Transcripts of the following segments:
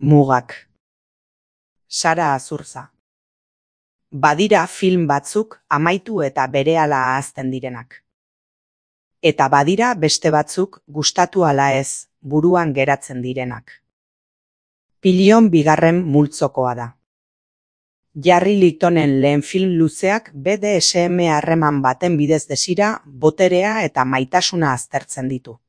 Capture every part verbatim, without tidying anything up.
Mugak. Sara Azurza. Badira film batzuk amaitu eta berehala ahazten direnak. Eta badira beste batzuk gustatu ala ez, buruan geratzen direnak. Pilion bigarren multzokoa da. Jarri Litonen lehen film luzeak B D S M harreman baten bidez desira, boterea eta maitasuna aztertzen ditu.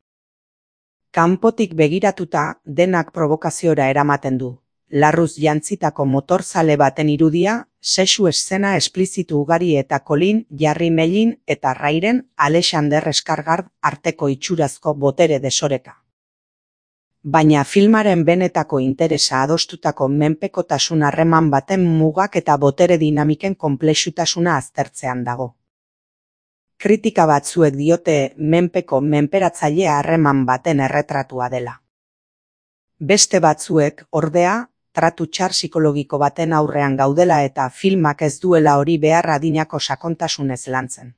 Kanpotik begiratuta denak probokaziora eramaten du. Larruz jantzitako motorzale baten irudia, sexu eszena esplizitu ugari eta Colin, Jarri Mellin eta Rairen, Alexander Skarsgård arteko itxurazko botere desoreka. Baina filmaren benetako interesa adostutako menpekotasun harreman baten mugak eta botere dinamiken konplexutasuna aztertzean dago. Kritika batzuek diote menpeko menperatzaile harreman baten erretratua dela. Beste batzuek, ordea, tratu txar psikologiko baten aurrean gaudela eta filmak ez duela hori behar adinako sakontasunez lantzen.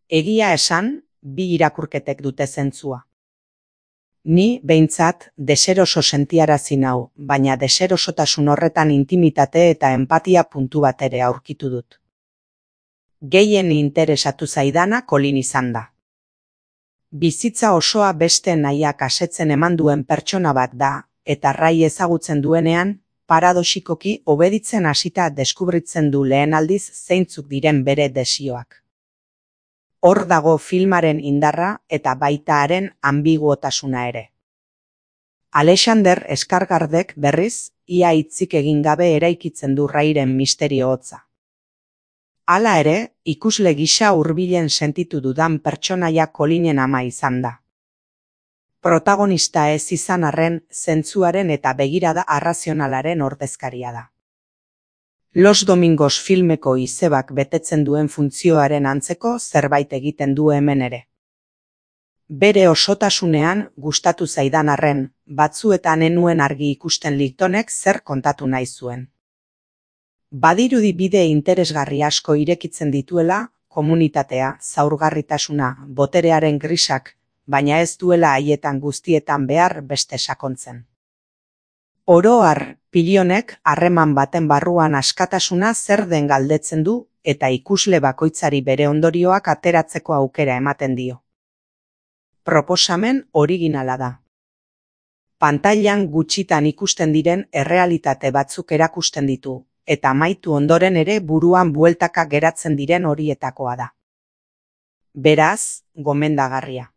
Egia esan, bi irakurketek dute zentzua. Ni, behintzat, deseroso sentiarazi nau, baina deserosotasun horretan intimitate eta empatia puntu bat ere aurkitu dut. Gehien interesatu zaidana Colin izan da. Bizitza osoa beste nahiak asetzen eman duen pertsona bat da, eta Rai ezagutzen duenean, paradoxikoki obeditzen hasita deskubritzen du lehen aldiz zeintzuk diren bere desioak. Hor dago filmaren indarra eta baita haren ambiguotasuna ere. Alexander Skarsgårdek berriz, ia hitzik egin gabe eraikitzen du Rairen misterio hotza. Hala ere, ikusle gisa hurbilen sentitu dudan pertsonaia Colinen ama izan da. Protagonista ez izan arren, zentzuaren eta begirada arrazionalaren ordezkaria da. Los Domingos filmeko izebak betetzen duen funtzioaren antzeko zerbait egiten du hemen ere. Bere osotasunean gustatu zaidan arren, batzuetan ez nuen argi ikusten Litonek zer kontatu nahi zuen. Badirudi bide interesgarri asko irekitzen dituela, komunitatea, zaurgarritasuna, boterearen grisak, baina ez duela haietan guztietan behar beste sakontzen. Oro har, Pilionek harreman baten barruan askatasuna zer den galdetzen du eta ikusle bakoitzari bere ondorioak ateratzeko aukera ematen dio. Proposamen originala da. Pantailan gutxitan ikusten diren errealitate batzuk erakusten ditu, eta amaitu ondoren ere buruan bueltaka geratzen diren horietakoa da. Beraz, gomendagarria.